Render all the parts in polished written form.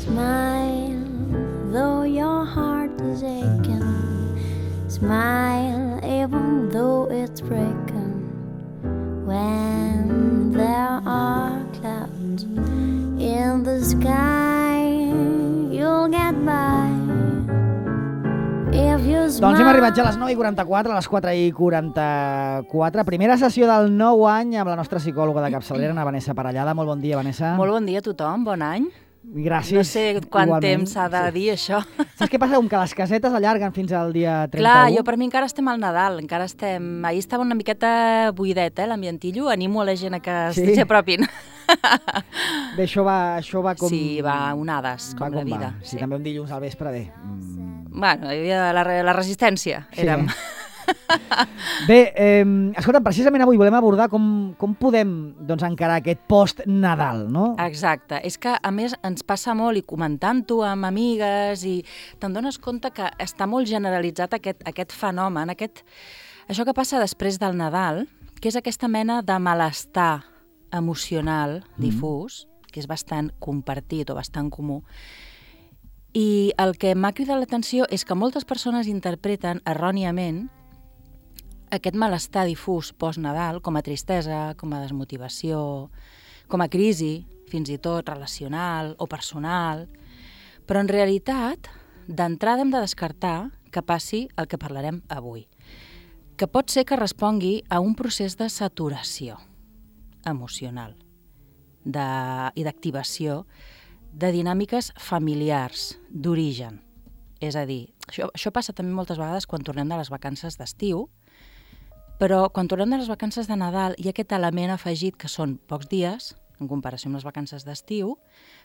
Smile, though your heart is aching. Smile, even though it's breaking. When there are clouds in the sky, you'll get by. Doncs hem arribat ja a les 9:44, a les 4:44. Primera sessió del nou any amb la nostra psicòloga de capçalera, Ana Vanessa Parellada. Molt bon dia, Vanessa. Molt bon dia a tothom, bon any. Gràcies. No sé quant igualment. temps s'ha de dir això. Saps què passa? Com que les casetes allarguen fins al dia 31. Clar, per mi encara estem al Nadal, Ahir estava una miqueta buidet, l'ambientillo. Animo a la gent a que s'hi apropin. Bé, això va com... Sí, va onades, com la vida. Sí, també un dilluns al vespre, bé. Bueno, hi havia la resistència, érem. Bé, escolta, precisament avui volem abordar com podem encarar aquest post-Nadal, no? Exacte. És que, a més, ens passa molt, i comentant-ho amb amigues, i te'n dones compte que està molt generalitzat aquest fenomen, això que passa després del Nadal, que és aquesta mena de malestar emocional difús, que és bastant compartit o bastant comú. I el que m'ha cridat l'atenció és que moltes persones interpreten erròniament aquest malestar difús post-Nadal com a tristesa, com a desmotivació, com a crisi, fins i tot relacional o personal. Però en realitat, d'entrada hem de descartar que passi el que parlarem avui, que pot ser que respongui a un procés de saturació emocional i d'activació de dinàmiques familiars, d'origen. És a dir, això passa també moltes vegades quan tornem de les vacances d'estiu, però quan tornem de les vacances de Nadal hi ha aquest element afegit que són pocs dies, en comparació amb les vacances d'estiu,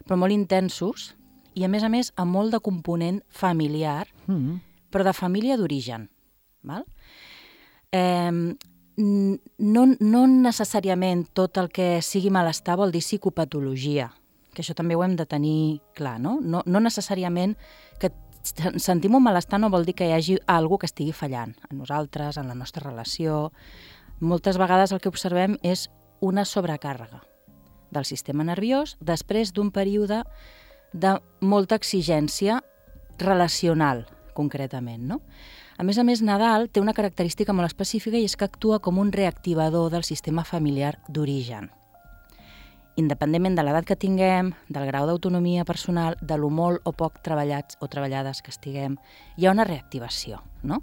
però molt intensos i, a més, amb molt de component familiar, però de família d'origen. No necessàriament tot el que sigui malestar vol dir psicopatologia, que això també ho hem de tenir clar, no? No necessàriament que sentim un malestar no vol dir que hi hagi alguna que estigui fallant en nosaltres, en la nostra relació. Moltes vegades el que observem és una sobrecàrrega del sistema nerviós després d'un període de molta exigència relacional, concretament, no? A més, Nadal té una característica molt específica i és que actua com un reactivador del sistema familiar d'origen. Independentment de l'edat que tinguem, del grau d'autonomia personal, de lo molt o poc treballats o treballades que estiguem, hi ha una reactivació, no?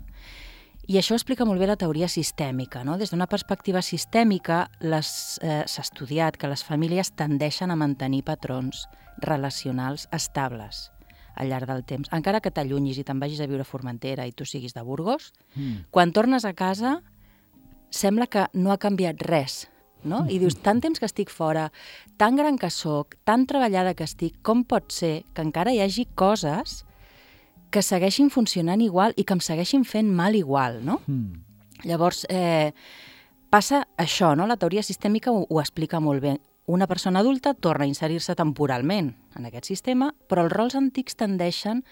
I això explica molt bé la teoria sistèmica, no? Des d'una perspectiva sistèmica s'ha estudiat que les famílies tendeixen a mantenir patrons relacionals estables al llarg del temps. Encara que t'allunyis i te'n vagis a viure a Formentera i tu siguis de Burgos, quan tornes a casa sembla que no ha canviat res, no? I dius, tant temps que estic fora, tan gran que sóc, tan treballada que estic, com pot ser que encara hi hagi coses que segueixin funcionant igual i que em segueixin fent mal igual, no? Llavors, passa això, no? La teoria sistèmica ho explica molt bé. Una persona adulta torna a inserir-se temporalment en aquest sistema, però els rols antics tendeixen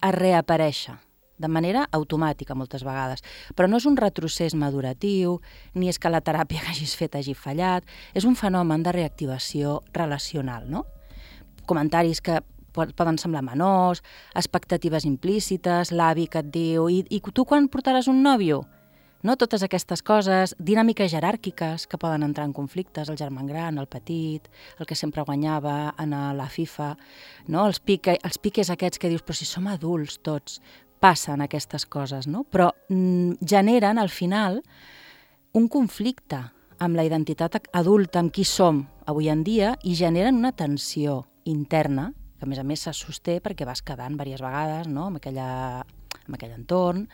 a reaparèixer de manera automàtica moltes vegades. Però no és un retrocés maduratiu, ni és que la teràpia que hagis fet hagi fallat, és un fenomen de reactivació relacional, no? Comentaris que poden semblar menors, expectatives implícites, l'avi que et diu i tu quan portaràs un nòvio? No? Totes aquestes coses, dinàmiques jeràrquiques que poden entrar en conflictes, el germà gran, el petit, el que sempre guanyava en la FIFA, no? Els piques aquests que dius, però si som adults tots, passen aquestes coses, no? Però generen, al final, un conflicte amb la identitat adulta, amb qui som avui en dia, i generen una tensió interna, que a més se sosté perquè vas quedant diverses vegades, no? en aquell entorn,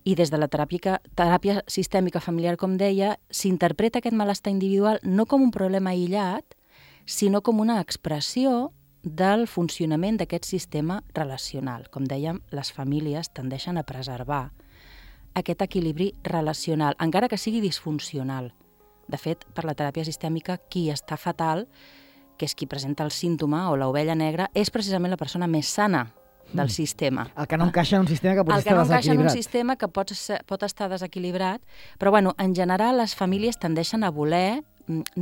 i des de la teràpia sistèmica familiar, com deia, s'interpreta aquest malestar individual no com un problema aïllat, sinó com una expressió del funcionament d'aquest sistema relacional. Com dèiem, les famílies tendeixen a preservar aquest equilibri relacional, encara que sigui disfuncional. De fet, per la teràpia sistèmica, qui està fatal, que és qui presenta el símptoma o l'ovella negra, és precisament la persona més sana del sistema. El que no encaixa en un sistema que pot estar desequilibrat. El que no encaixa en un sistema que pot estar desequilibrat, però en general les famílies tendeixen a voler,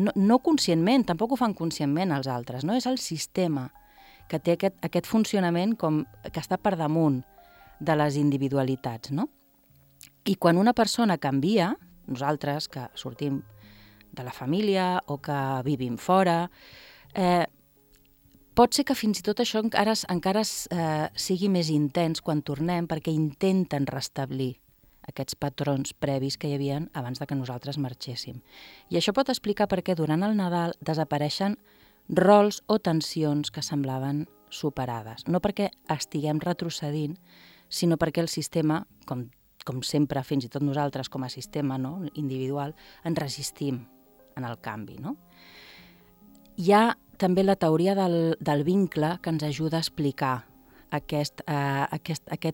no conscientment, tampoc ho fan conscientment els altres, no? És el sistema que té aquest funcionament com que està per damunt de les individualitats, no? I quan una persona canvia, nosaltres que sortim de la família o que vivim fora, pot ser que fins i tot això encara sigui més intens quan tornem, perquè intenten restablir aquests patrons previs que hi havia abans de que nosaltres marxéssim. I això pot explicar per què durant el Nadal desapareixen rols o tensions que semblaven superades. No perquè estiguem retrocedint, sinó perquè el sistema, com sempre, fins i tot nosaltres com a sistema, no, individual, ens resistim en el canvi. No? Hi ha també la teoria del vincle que ens ajuda a explicar aquest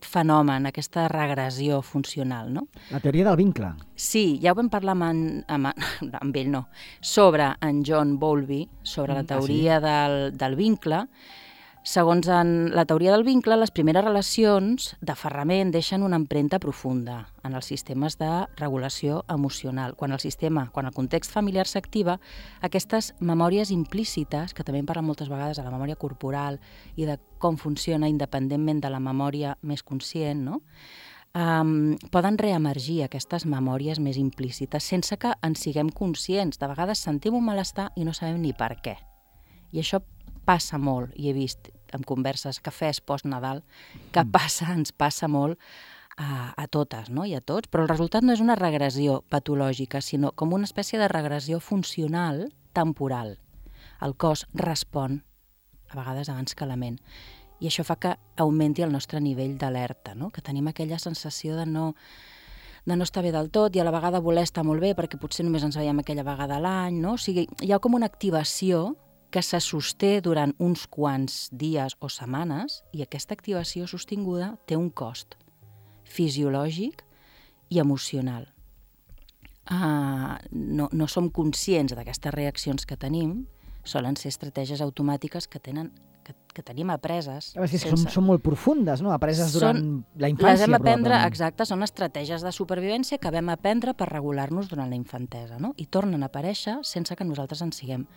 fenomen, aquesta regressió funcional. No? La teoria del vincle. Sí, ja ho vam parlar amb ell, no, sobre en John Bowlby, sobre la teoria del vincle. Segons la teoria del vincle, les primeres relacions d'aferrament deixen una empremta profunda en els sistemes de regulació emocional. Quan el context familiar s'activa, aquestes memòries implícites, que també en parlen moltes vegades de la memòria corporal i de com funciona independentment de la memòria més conscient, no? Poden reemergir aquestes memòries més implícites sense que en siguem conscients. De vegades sentim un malestar i no sabem ni per què. I això passa molt, i he vist en converses, cafès post-Nadal, que ens passa molt a totes, no? I a tots, però el resultat no és una regressió patològica, sinó com una espècie de regressió funcional temporal. El cos respon, a vegades abans que la ment, i això fa que augmenti el nostre nivell d'alerta, no? Que tenim aquella sensació de no estar bé del tot i a la vegada voler estar molt bé perquè potser només ens veiem aquella vegada a l'any, no? O sigui, hi ha com una activació que se sosté durant uns quants dies o setmanes i aquesta activació sostinguda té un cost fisiològic i emocional. No som conscients d'aquestes reaccions que tenim, solen ser estratègies automàtiques que tenim apreses. Són molt profundes, no? Apreses durant la infància, les hem aprendre, probablement. exacte, són estratègies de supervivència que vam aprendre per regular-nos durant la infantesa, no? I tornen a aparèixer sense que nosaltres en siguem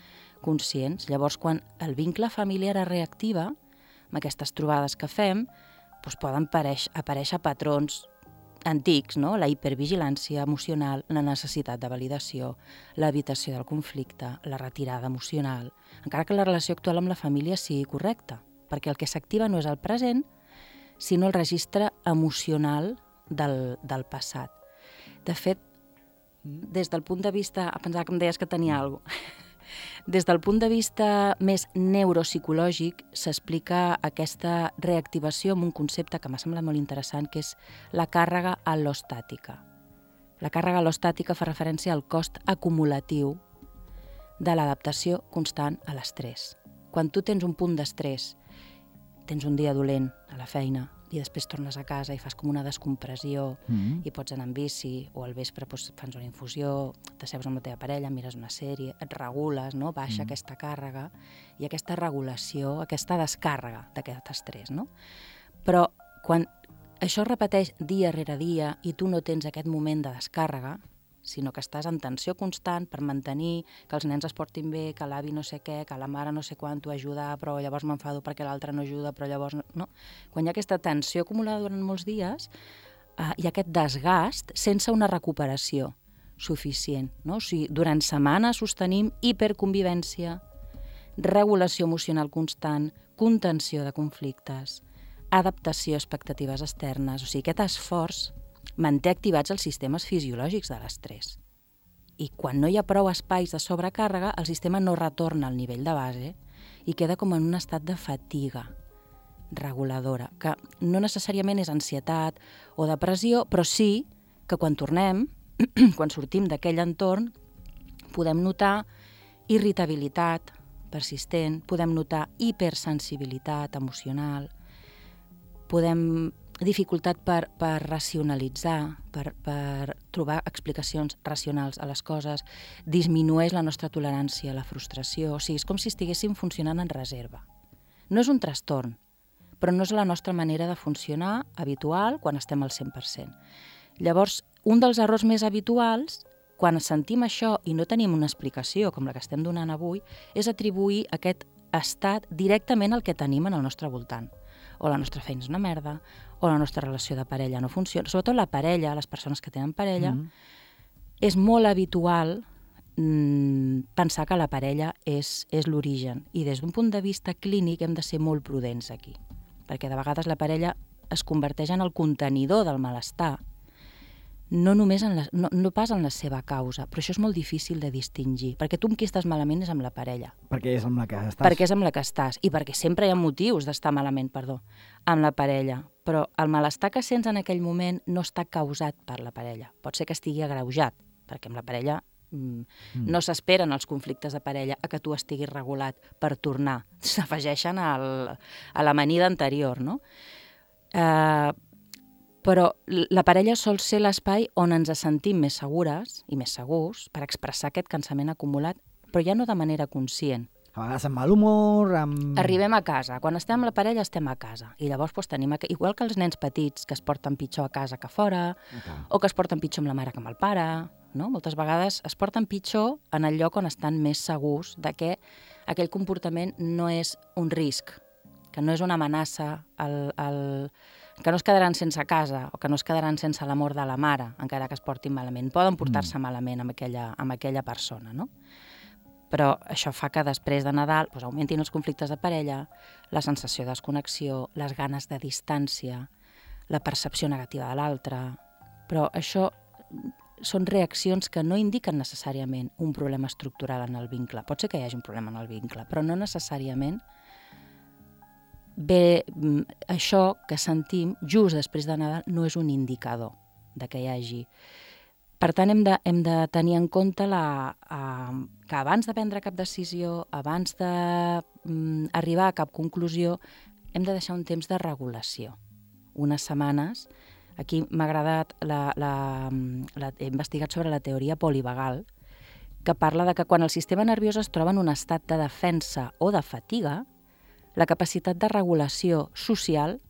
conscients. Llavors, quan el vincle familiar es reactiva, amb aquestes trobades que fem, doncs poden aparèixer patrons antics, no? La hipervigilància emocional, la necessitat de validació, l'evitació del conflicte, la retirada emocional, encara que la relació actual amb la família sigui correcta, perquè el que s'activa no és el present, sinó el registre emocional del passat. De fet, des del punt de vista... Pensava que em deies que tenia alguna cosa. Des del punt de vista més neuropsicològic s'explica aquesta reactivació amb un concepte que m'ha semblat molt interessant, que és la càrrega al·lostàtica. La càrrega al·lostàtica fa referència al cost acumulatiu de l'adaptació constant a l'estrès. Quan tu tens un punt d'estrès, tens un dia dolent a la feina i després tornes a casa i fas com una descompressió i pots anar en bici o al vespre fas una infusió, t'asseus amb la teva parella, mires una sèrie, et regules, no? Baixa aquesta càrrega i aquesta regulació, aquesta descàrrega d'aquest estrès. No? Però quan això es repeteix dia rere dia i tu no tens aquest moment de descàrrega, sinó que estàs en tensió constant per mantenir que els nens es portin bé, que l'avi no sé què, que la mare no sé quan t'ho ajuda, però llavors m'enfado perquè l'altre no ajuda, però llavors no. Quan hi ha aquesta tensió acumulada durant molts dies, hi ha aquest desgast sense una recuperació suficient. No? O sigui, durant setmanes sostenim hiperconvivència, regulació emocional constant, contenció de conflictes, adaptació a expectatives externes. O sigui, aquest esforç manté activats els sistemes fisiològics de l'estrès. I quan no hi ha prou espais de sobrecàrrega, el sistema no retorna al nivell de base i queda com en un estat de fatiga reguladora, que no necessàriament és ansietat o depressió, però sí que quan tornem, quan sortim d'aquell entorn, podem notar irritabilitat persistent, podem notar hipersensibilitat emocional, podem dificultat per racionalitzar, per trobar explicacions racionals a les coses, disminueix la nostra tolerància a la frustració, o sigui, és com si estiguéssim funcionant en reserva. No és un trastorn, però no és la nostra manera de funcionar habitual quan estem al 100%. Llavors, un dels errors més habituals, quan sentim això i no tenim una explicació com la que estem donant avui, és atribuir aquest estat directament el que tenim en el nostre voltant. O la nostra feina és una merda, o la nostra relació de parella no funciona. Sobretot la parella, les persones que tenen parella, és molt habitual pensar que la parella és l'origen. I des d'un punt de vista clínic hem de ser molt prudents aquí. Perquè de vegades la parella es converteix en el contenidor del malestar, no només no pas en la seva causa, però això és molt difícil de distingir, perquè tu amb qui estàs malament és amb la parella. Perquè és amb la que estàs. Perquè és amb la que estàs, i perquè sempre hi ha motius d'estar malament, amb la parella. Però el malestar que sents en aquell moment no està causat per la parella. Pot ser que estigui agreujat, perquè amb la parella no s'esperen els conflictes de parella a que tu estiguis regulat per tornar. S'afegeixen a l'amanida anterior, no? Però la parella sol ser l'espai on ens sentim més segures i més segurs per expressar aquest cansament acumulat, però ja no de manera conscient. A vegades amb mal humor, amb... Arribem a casa. Quan estem amb la parella estem a casa. I llavors tenim... Igual que els nens petits que es porten pitjor a casa que a fora, o que es porten pitjor amb la mare que amb el pare, no? Moltes vegades es porten pitjor en el lloc on estan més segurs de que aquell comportament no és un risc, que no és una amenaça, que no es quedaran sense casa o que no es quedaran sense l'amor de la mare, encara que es portin malament. Poden portar-se malament amb aquella persona, no? Però això fa que després de Nadal augmentin els conflictes de parella, la sensació de desconnexió, les ganes de distància, la percepció negativa de l'altre. Però això són reaccions que no indiquen necessàriament un problema estructural en el vincle. Pot ser que hi hagi un problema en el vincle, però no necessàriament bé, això que sentim just després de Nadal no és un indicador de que hi hagi. Per tant, hem de tenir en compte que abans de prendre cap decisió, abans d'arribar a cap conclusió, hem de deixar un temps de regulació. Unes setmanes. Aquí m'ha agradat, he investigat sobre la teoria polivagal, que parla de que quan el sistema nerviós es troba en un estat de defensa o de fatiga, la capacitat de regulació social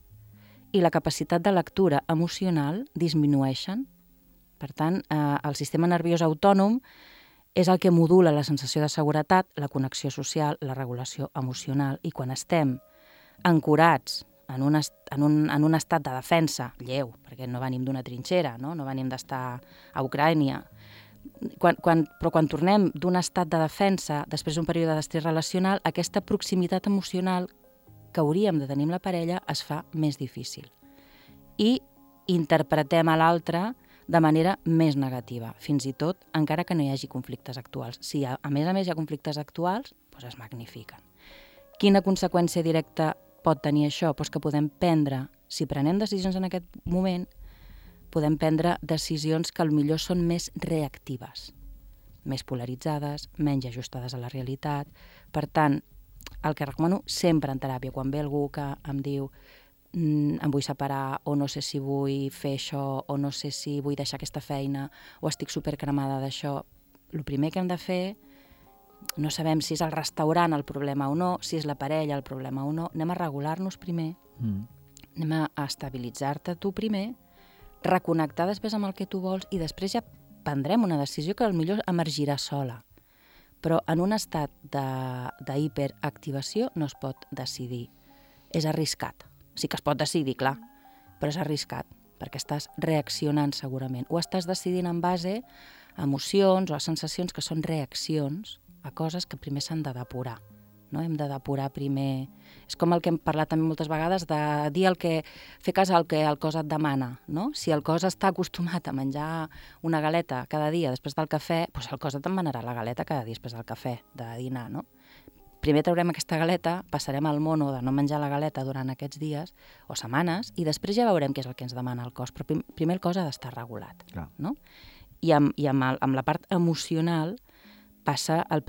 i la capacitat de lectura emocional disminueixen. Per tant, el sistema nerviós autònom és el que modula la sensació de seguretat, la connexió social, la regulació emocional. I quan estem ancorats en un estat de defensa lleu, perquè no venim d'una trinxera, no venim d'estar a Ucrània, però quan tornem d'un estat de defensa, després d'un període d'estrès relacional, aquesta proximitat emocional que hauríem de tenir amb la parella es fa més difícil. I interpretem a l'altre de manera més negativa, fins i tot encara que no hi hagi conflictes actuals. Si a més hi ha conflictes actuals, doncs es magnifiquen. Quina conseqüència directa pot tenir això? Doncs que podem prendre, si prenem decisions en aquest moment, podem prendre decisions que potser són més reactives, més polaritzades, menys ajustades a la realitat. Per tant, el que recomano sempre en teràpia, quan ve algú que em diu em vull separar, o no sé si vull fer això, o no sé si vull deixar aquesta feina, o estic supercremada d'això, el primer que hem de fer, no sabem si és el restaurant el problema o no, si és la parella el problema o no, anem a regular-nos primer, anem a estabilitzar-te tu primer, reconnectar després amb el que tu vols i després ja prendrem una decisió que potser emergirà sola. Però en un estat d'hiperactivació no es pot decidir. És arriscat. Sí que es pot decidir, clar, però és arriscat, perquè estàs reaccionant segurament. O estàs decidint en base a emocions o a sensacions que són reaccions a coses que primer s'han de depurar. No? Hem de depurar primer... És com el que hem parlat també moltes vegades de dir fer cas al que el cos et demana. No? Si el cos està acostumat a menjar una galeta cada dia després del cafè, doncs el cos et demanarà la galeta cada dia després del cafè, de dinar, no? Primer traurem aquesta galeta, passarem al mono de no menjar la galeta durant aquests dies o setmanes i després ja veurem què és el que ens demana el cos. Però primer el cos ha d'estar regulat. No? I amb la part emocional passa el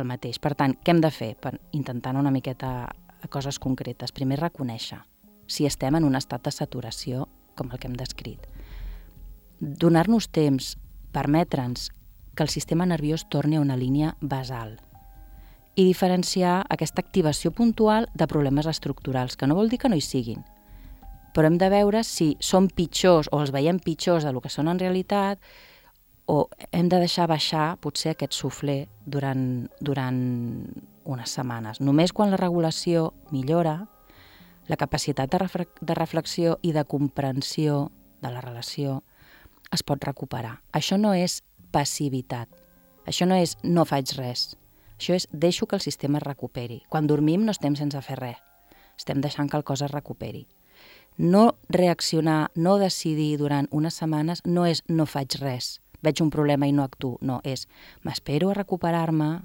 mateix. Per tant, què hem de fer? Intentant una miqueta coses concretes. Primer, reconèixer si estem en un estat de saturació com el que hem descrit. Donar-nos temps, permetre'ns que el sistema nerviós torni a una línia basal i diferenciar aquesta activació puntual de problemes estructurals, que no vol dir que no hi siguin, però hem de veure si són pitjors o els veiem pitjors del que són en realitat o hem de deixar baixar potser aquest suflé durant unes setmanes. Només quan la regulació millora, la capacitat de reflexió i de comprensió de la relació es pot recuperar. Això no és passivitat. Això no és no faig res. Això és deixo que el sistema es recuperi. Quan dormim no estem sense fer res. Estem deixant que el cos es recuperi. No reaccionar, no decidir durant unes setmanes no és no faig res. Veig un problema i no actuo. No, és m'espero a recuperar-me,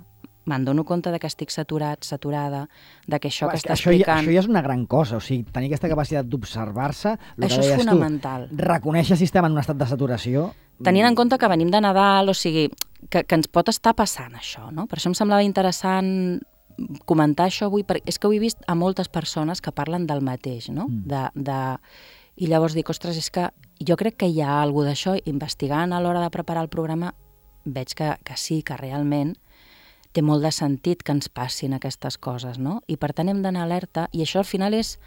me'n dono compte que estic saturat, saturada, que això que està explicant... Això ja és una gran cosa, o sigui, tenir aquesta capacitat d'observar-se... Això és fonamental. Reconèixer el sistema en un estat de saturació... Tenint en compte que venim de Nadal, o sigui, que ens pot estar passant això, no? Per això em semblava interessant comentar això avui, perquè és que ho he vist a moltes persones que parlen del mateix, no? I llavors dic, ostres, és que jo crec que hi ha alguna d'això, investigant a l'hora de preparar el programa, veig que sí, que realment té molt de sentit que ens passin aquestes coses, no? I per tant hem d'anar alerta, i això al final és...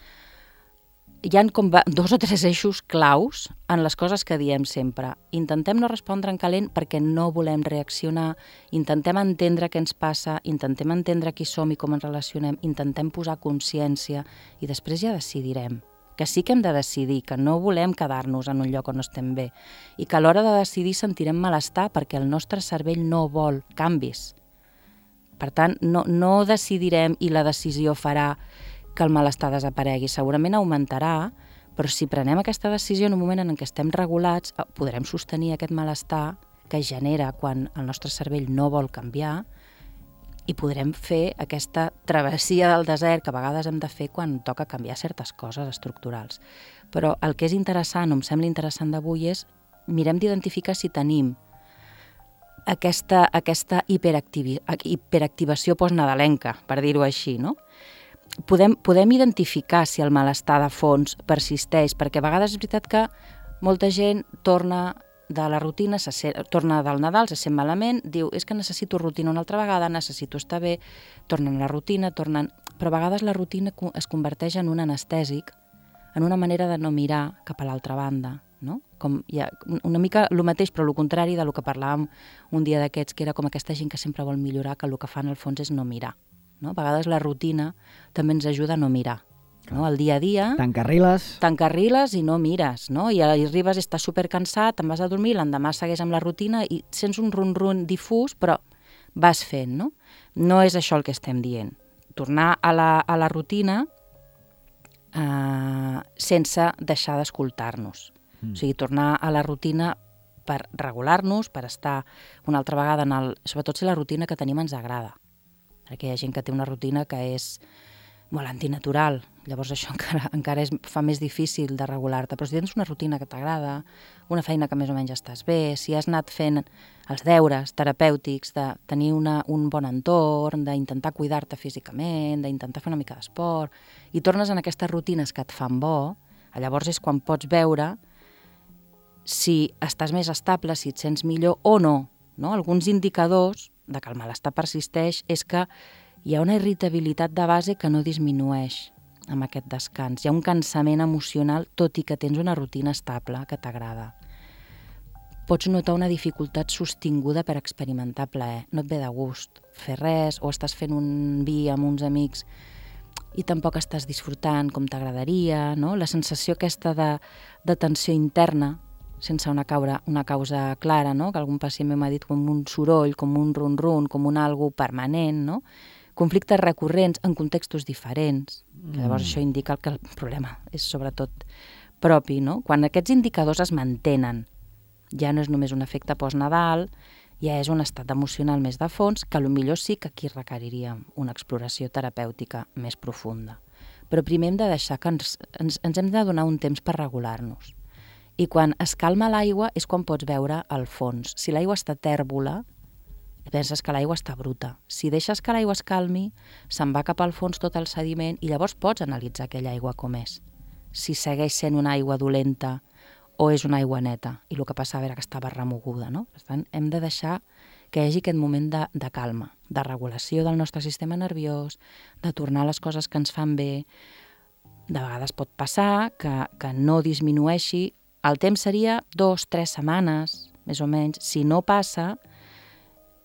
Hi ha com 2 o 3 eixos claus en les coses que diem sempre. Intentem no respondre en calent perquè no volem reaccionar, intentem entendre què ens passa, intentem entendre qui som i com ens relacionem, intentem posar consciència i després ja decidirem. Que sí que hem de decidir, que no volem quedar-nos en un lloc on no estem bé i que a l'hora de decidir sentirem malestar perquè el nostre cervell no vol canvis. Per tant, no decidirem i la decisió farà que el malestar desaparegui. Segurament augmentarà, però si prenem aquesta decisió en un moment en què estem regulats, podrem sostenir aquest malestar que es genera quan el nostre cervell no vol canviar i podrem fer aquesta travessia del desert que a vegades hem de fer quan toca canviar certes coses estructurals. Però el que és interessant, o em sembla interessant d'avui, és mirem d'identificar si tenim aquesta hiperactivació postnadalenca, per dir-ho així, no? Podem identificar si el malestar de fons persisteix, perquè a vegades és veritat que molta gent torna de la rutina, torna del Nadal, se sent malament, diu, és que necessito rutina una altra vegada, necessito estar bé, tornen a la rutina, però a vegades la rutina es converteix en un anestèsic, en una manera de no mirar cap a l'altra banda, no? Com hi ha una mica el mateix, però el contrari del que parlàvem un dia d'aquests, que era com aquesta gent que sempre vol millorar, que el que fa en el fons és no mirar. No? A vegades la rutina també ens ajuda a no mirar. No? El dia a dia... T'encarriles i no mires. No? I arribes, estàs supercansat, te'n vas a dormir, l'endemà segueix amb la rutina i sents un rum-rum difús, però vas fent. No és això el que estem dient. Tornar a la rutina sense deixar d'escoltar-nos. O sigui, tornar a la rutina per regular-nos, per estar una altra vegada sobretot si la rutina que tenim ens agrada. Perquè hi ha gent que té una rutina que és molt antinatural, llavors això encara fa més difícil de regular-te, però si tens una rutina que t'agrada, una feina que més o menys estàs bé, si has anat fent els deures terapèutics, de tenir un bon entorn, d'intentar cuidar-te físicament, d'intentar fer una mica d'esport, i tornes en aquestes rutines que et fan bo, llavors és quan pots veure si estàs més estable, si et sents millor o no. Alguns indicadors de que el malestar persisteix és que hi ha una irritabilitat de base que no disminueix amb aquest descans. Hi ha un cansament emocional, tot i que tens una rutina estable que t'agrada. Pots notar una dificultat sostinguda per experimentar plaer. No et ve de gust fer res, o estàs fent un vi amb uns amics i tampoc estàs disfrutant com t'agradaria, no? La sensació aquesta de tensió interna, sense una causa clara, no? Que algun pacient m'ha dit com un soroll, com un run-run, com un algo permanent, no? Conflictes recurrents en contextos diferents. Llavors això indica que el problema és sobretot propi, no? Quan aquests indicadors es mantenen, ja no és només un efecte post-Nadal, ja és un estat emocional més de fons, que potser sí que aquí requeriria una exploració terapèutica més profunda. Però primer hem de deixar que ens hem de donar un temps per regular-nos. I quan es calma l'aigua és quan pots veure el fons. Si l'aigua està tèrbola, penses que l'aigua està bruta. Si deixes que l'aigua es calmi, se'n va cap al fons tot el sediment i llavors pots analitzar aquella aigua com és. Si segueix sent una aigua dolenta o és una aigua neta. I el que passava era que estava remoguda, no? Per tant, hem de deixar que hi hagi aquest moment de calma, de regulació del nostre sistema nerviós, de tornar a les coses que ens fan bé. De vegades pot passar que no disminueixi. El temps seria 2-3 setmanes, més o menys. Si no passa,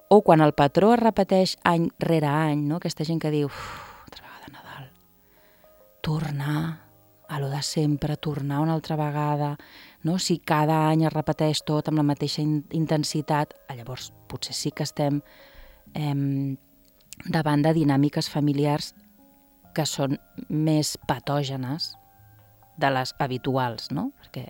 O quan el patró es repeteix any rere any, no? Aquesta gent que diu, altra vegada Nadal, tornar a lo de sempre, tornar una altra vegada, no? Si cada any es repeteix tot amb la mateixa intensitat, llavors potser sí que estem davant de dinàmiques familiars que són més patògenes de les habituals, no? Perquè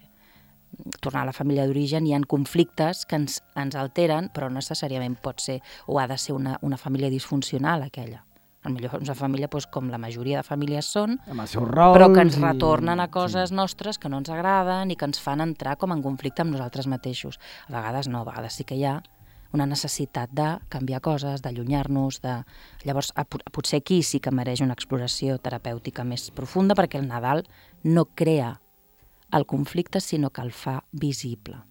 tornar a la família d'origen hi ha conflictes que ens alteren, però no necessàriament pot ser o ha de ser una família disfuncional aquella. Potser una família com la majoria de famílies són, amb els seus rols, però que ens retornen a coses nostres que no ens agraden i que ens fan entrar com en conflicte amb nosaltres mateixos. A vegades no, a vegades sí que hi ha una necessitat de canviar coses, d'allunyar-nos, Llavors, potser aquí sí que mereix una exploració terapèutica més profunda, perquè el Nadal no crea el conflicte, sinó que el fa visible.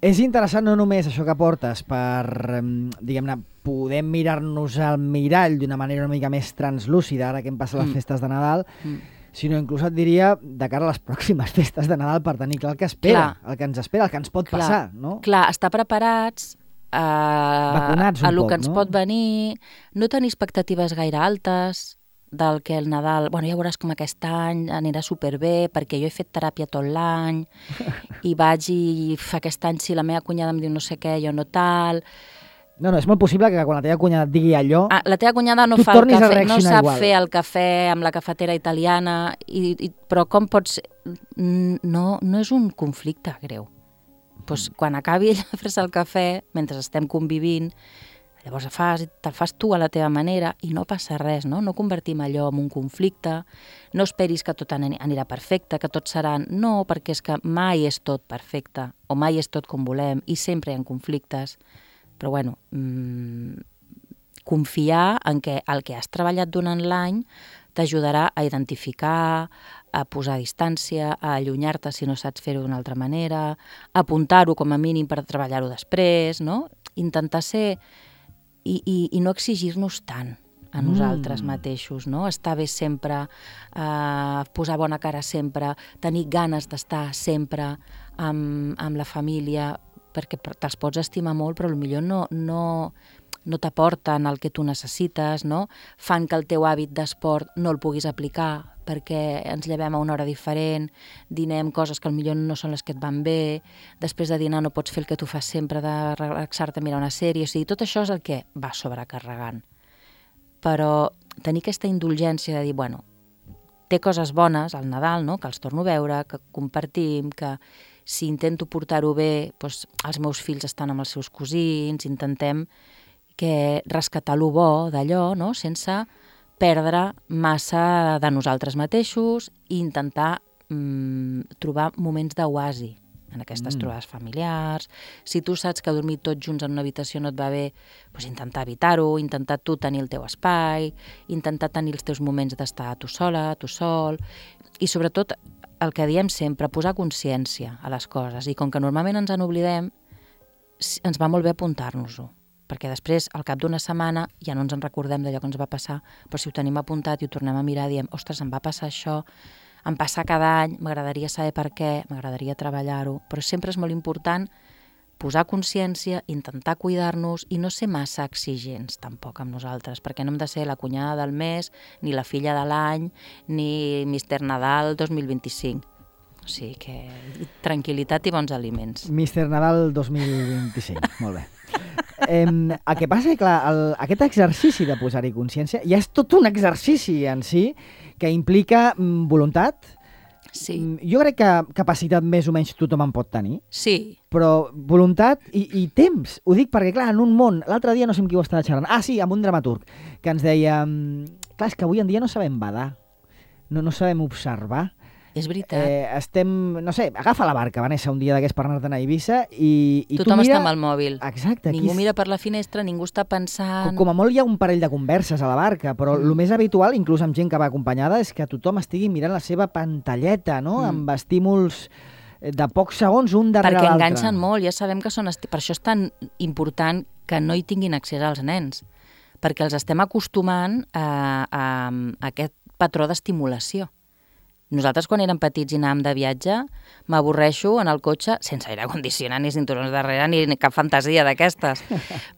És interessant no només això que portes per, diguem-ne, poder mirar-nos al mirall d'una manera una mica més translúcida, ara que hem passat les festes de Nadal, sinó inclús et diria de cara a les pròximes festes de Nadal per tenir clar el que espera, el que ens espera, el que ens pot passar, no? Clar, estar preparats vacunats un a lo poc, que ens no? pot venir, no tenir expectatives gaire altes del que el Nadal, ja veuràs com aquest any anirà superbé, perquè jo he fet teràpia tot l'any i vaig i aquest any si la meva cunyada em diu no sé què, jo no tal. No, és molt possible que quan la teva cunyada et digui allò... La teva cunyada no fa el cafè, no sap fer el cafè amb la cafetera italiana, però com pot ser... No és un conflicte greu. Quan acabi ella de fer-se el cafè, mentre estem convivint, llavors te'l fas tu a la teva manera i no passa res, no? No convertim allò en un conflicte, no esperis que tot anirà perfecte, que tot seran... No, perquè és que mai és tot perfecte, o mai és tot com volem, i sempre hi ha conflictes. Però bueno, confiar en que el que has treballat durant l'any t'ajudarà a identificar, a posar distància, a allunyar-te si no saps fer-ho d'una altra manera, a apuntar-ho com a mínim per treballar-ho després, no? Intentar ser... I no exigir-nos tant a nosaltres mateixos, no? Estar bé sempre, posar bona cara sempre, tenir ganes d'estar sempre amb la família, perquè te'ls pots estimar molt, però potser no t'aporten el que tu necessites, no? Fan que el teu hàbit d'esport no el puguis aplicar perquè ens llevem a una hora diferent, dinem coses que potser no són les que et van bé, després de dinar no pots fer el que tu fas sempre de relaxar-te a mirar una sèrie, o sigui, tot això és el que va sobrecarregant. Però tenir aquesta indulgència de dir, té coses bones al Nadal, no? Que els torno a veure, que compartim, que si intento portar-ho bé, els meus fills estan amb els seus cosins, intentem rescatar lo bo d'allò, no? Sense perdre massa de nosaltres mateixos i intentar trobar moments d'oasi en aquestes trobades familiars. Si tu saps que dormir tots junts en una habitació no et va bé, intentar evitar-ho, intentar tu tenir el teu espai, intentar tenir els teus moments d'estar tu sola, tu sol, i sobretot el que diem sempre, posar consciència a les coses, i com que normalment ens en oblidem, ens va molt bé apuntar-nos-ho, perquè després, al cap d'una setmana, ja no ens en recordem d'allò que ens va passar, però si ho tenim apuntat i ho tornem a mirar, diem, ostres, em va passar això, em passa cada any, m'agradaria saber per què, m'agradaria treballar-ho, però sempre és molt important posar consciència, intentar cuidar-nos i no ser massa exigents tampoc amb nosaltres, perquè no hem de ser la cunyada del mes, ni la filla de l'any, ni Mr. Nadal 2025. O sigui que tranquil·litat i bons aliments. Mr. Nadal 2025, molt bé. El que passa és que aquest exercici de posar-hi consciència ja és tot un exercici en si que implica voluntat. Sí. Jo crec que capacitat més o menys tothom en pot tenir. Sí. Però voluntat i temps. Ho dic perquè, clar, en un món... L'altre dia no sé amb qui ho estava xerrant. Sí, amb un dramaturg, que ens deia... Clar, és que avui en dia no sabem badar. No sabem observar. És veritat. No sé, agafa la barca, Vanessa, un dia d'aquests per anar-te'n a Eivissa i tothom està amb el mòbil. Exacte. Ningú mira per la finestra, ningú està pensant... Com a molt hi ha un parell de converses a la barca, però el més habitual, inclús amb gent que va acompanyada, és que tothom estigui mirant la seva pantalleta, no? Amb estímuls de pocs segons un darrere l'altre. Perquè enganxen molt, ja sabem que són... Per això és tan important que no hi tinguin accés als nens, perquè els estem acostumant a aquest patró d'estimulació. Nosaltres, quan érem petits i anàvem de viatge, m'avorreixo en el cotxe, sense aire condicionat, ni cinturons darrere, ni cap fantasia d'aquestes.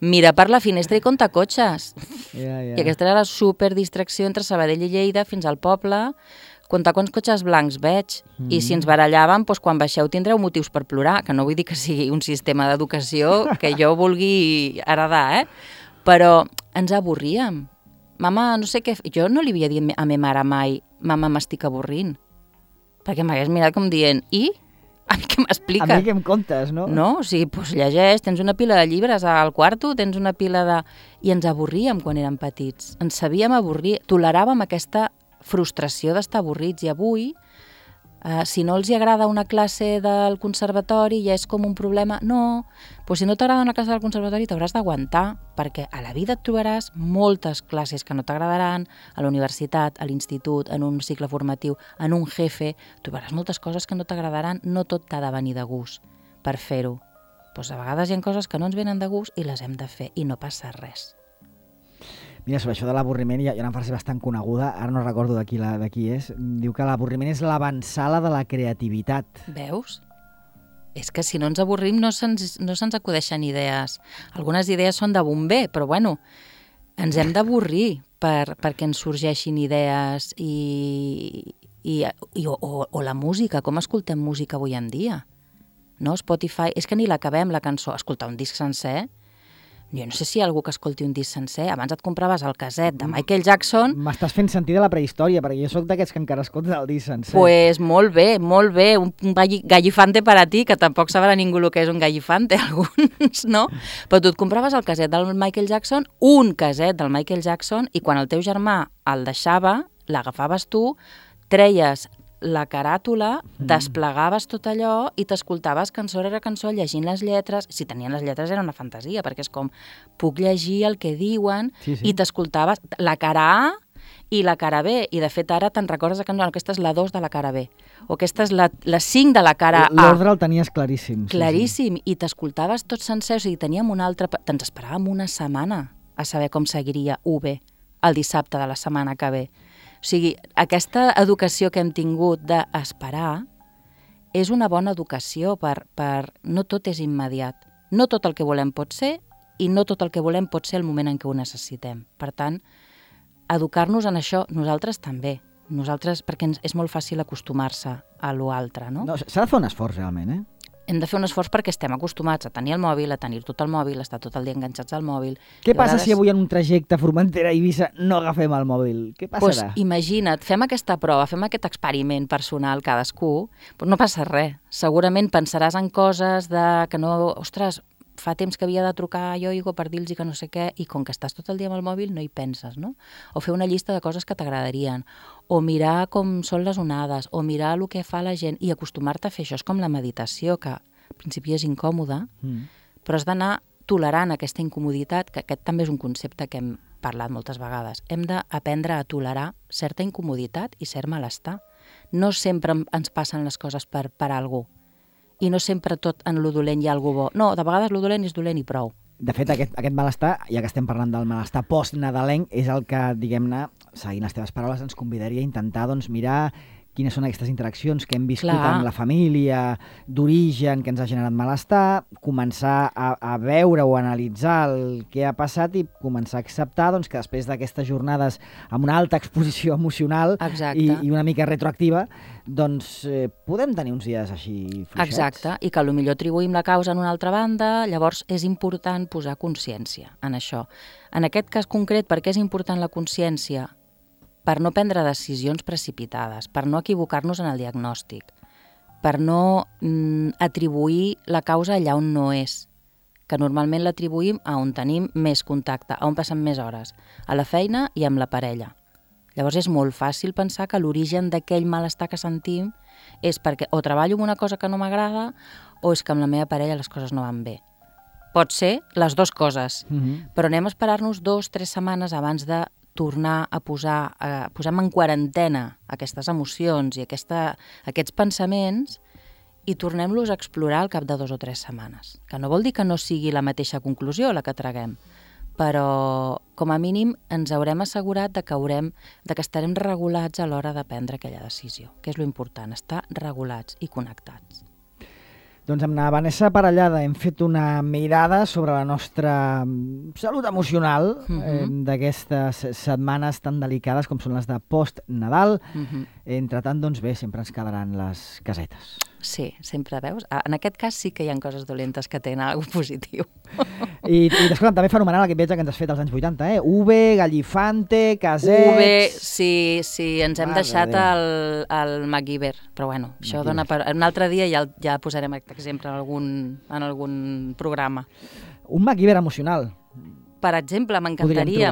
Mira per la finestra i compta cotxes. I aquesta era la superdistracció entre Sabadell i Lleida fins al poble, comptar quants cotxes blancs veig. I si ens barallàvem, doncs quan baixeu tindreu motius per plorar, que no vull dir que sigui un sistema d'educació que jo vulgui heredar, però ens avorríem. Mama, no sé què... Jo no li havia dit a ma mare mai, mama, m'estic avorrint. Perquè m'hagués mirat com dient, i? A mi què m'expliques? A mi què em contes, no? No, o sigui, doncs llegeix, tens una pila de llibres al quarto, tens una pila de... I ens avorríem quan érem petits. Ens sabíem avorrir, toleràvem aquesta frustració d'estar avorrits. I avui, si no els hi agrada una classe del conservatori ja és com un problema. No, doncs si no t'agrada una classe del conservatori t'hauràs d'aguantar, perquè a la vida et trobaràs moltes classes que no t'agradaran, a la universitat, a l'institut, en un cicle formatiu, en un jefe, trobaràs moltes coses que no t'agradaran, no tot t'ha de venir de gust per fer-ho. Doncs a vegades hi ha coses que no ens venen de gust i les hem de fer i no passa res. Mira, sobre això de l'avorriment, hi ha una frase bastant coneguda, ara no recordo de qui és, diu que l'avorriment és l'avançala de la creativitat. Veus? És que si no ens avorrim no se'ns acudeixen idees. Algunes idees són de bomber, però bueno, ens hem d'avorrir perquè ens sorgeixin idees o la música, com escoltem música avui en dia? No? Spotify, és que ni l'acabem la cançó, escoltar un disc sencer. Jo no sé si hi ha algú que escolti un disc sencer. Abans et compraves el caset de Michael Jackson. M'estàs fent sentir de la prehistòria, perquè jo sóc d'aquests que encara escolten el disc sencer. Pues molt bé, un gallifante per a ti, que tampoc sabrà ningú el que és un gallifante, alguns, no? Però tu et compraves el caset del Michael Jackson, un caset del Michael Jackson, i quan el teu germà el deixava, l'agafaves tu, treies la caràtula, desplegaves tot allò i t'escoltaves cançó rere cançó llegint les lletres. Si tenien les lletres era una fantasia, perquè és com, puc llegir el que diuen, i t'escoltaves la cara A i la cara B, i de fet ara te'n recordes que no, aquesta és la 2 de la cara B, o aquesta és la 5 de la cara A. L'ordre el tenies claríssim. Claríssim, i t'escoltaves tot sencer, o sigui, teníem un altre... Te'ns esperàvem una setmana a saber com seguiria UB el dissabte de la setmana que ve. O sigui, aquesta educació que hem tingut d'esperar és una bona educació no tot és immediat. No tot el que volem pot ser i no tot el que volem pot ser el moment en què ho necessitem. Per tant, educar-nos en això, nosaltres també. Nosaltres, perquè és molt fàcil acostumar-se a l'altre, no? S'ha de fer un esforç, realment, Hem de fer un esforç perquè estem acostumats a tenir el mòbil, a tenir tot el mòbil, a estar tot el dia enganxats al mòbil. Què passa si avui en un trajecte Formentera-Eivissa no agafem el mòbil? Què passarà? Doncs imagina't, fem aquesta prova, fem aquest experiment personal cadascú, però no passa res. Segurament pensaràs en coses que no... Ostres, fa temps que havia de trucar a Yoigo per dir-los que no sé què, i com que estàs tot el dia amb el mòbil no hi penses, no? O fer una llista de coses que t'agradarien, o mirar com són les onades, o mirar el que fa la gent, i acostumar-te a fer això. És com la meditació, que al principi és incòmoda, però has d'anar tolerant aquesta incomoditat, que aquest també és un concepte que hem parlat moltes vegades. Hem d'aprendre a tolerar certa incomoditat i cert malestar. No sempre ens passen les coses per algú. I no sempre tot en lo dolent hi ha algú bo. No, de vegades lo dolent és dolent i prou. De fet, aquest malestar, ja que estem parlant del malestar post-nadalenc, és el que, diguem-ne, seguint les teves paraules, ens convidaria a intentar mirar quines són aquestes interaccions que hem viscut amb la família, d'origen, que ens ha generat malestar, començar a veure o analitzar el que ha passat i començar a acceptar que després d'aquestes jornades amb una alta exposició emocional i una mica retroactiva, podem tenir uns dies així fluixets. Exacte, i que potser atribuïm la causa en una altra banda, llavors és important posar consciència en això. En aquest cas concret, per què és important la consciència? Per no prendre decisions precipitades, per no equivocar-nos en el diagnòstic, per no atribuir la causa allà on no és, que normalment l'atribuïm a on tenim més contacte, a on passem més hores, a la feina i amb la parella. Llavors és molt fàcil pensar que l'origen d'aquell malestar que sentim és perquè o treballo en una cosa que no m'agrada o és que amb la meva parella les coses no van bé. Pot ser les dues coses, però anem a esperar-nos 2 o 3 setmanes abans de tornar a posem en quarantena aquestes emocions i aquests pensaments i tornem-los a explorar al cap de 2 o 3 setmanes. Que no vol dir que no sigui la mateixa conclusió la que traguem, però com a mínim ens haurem assegurat de que estarem regulats a l'hora de prendre aquella decisió, que és lo important, estar regulats i connectats. Doncs amb la Vanessa Parellada hem fet una mirada sobre la nostra salut emocional d'aquestes setmanes tan delicades com són les de post-Nadal. Entre tant, doncs bé, sempre ens quedaran les casetes. Sí, sempre veus. En aquest cas sí que hi ha coses dolentes que tenen alguna positiu. I escolta'm, també fenomenal aquest viatge que ens has fet als anys 80, eh? Uve, Gallifante, casets... Uve, sí, ens hem deixat el MacGyver, però bueno, això dona per... Un altre dia ja posarem aquest exemple en algun programa. Un MacGyver emocional. Per exemple, m'encantaria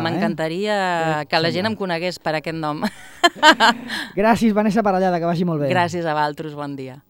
que la gent em conegués per aquest nom. Gràcies, Vanessa Parellada, que vagi molt bé. Gràcies a vosaltres, bon dia.